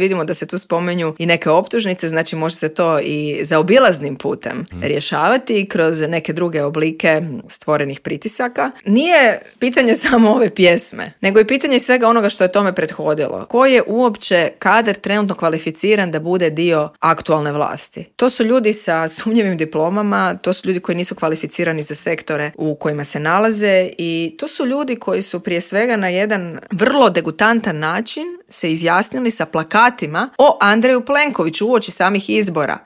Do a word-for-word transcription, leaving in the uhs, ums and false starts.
Vidimo da se tu spomenju i neke optužnice, znači može se to i zaobilaznim putem mm. rješavati kroz neke druge oblike stvorenih pritisaka. Nije pitanje samo ove pjesme, nego je pitanje svega onoga što je tome prethodilo. Ko je uopće kadar trenutno kvalificiran da bude dio aktualne vlasti? To su ljudi sa sumnjivim diplomama, to su ljudi koji nisu kvalificirani za sektore u kojima se nalaze i to su ljudi koji su prije svega na jedan vrlo degutantan način se izjasnili sa plakatima o Andreju Plenkoviću uoči samih izbora.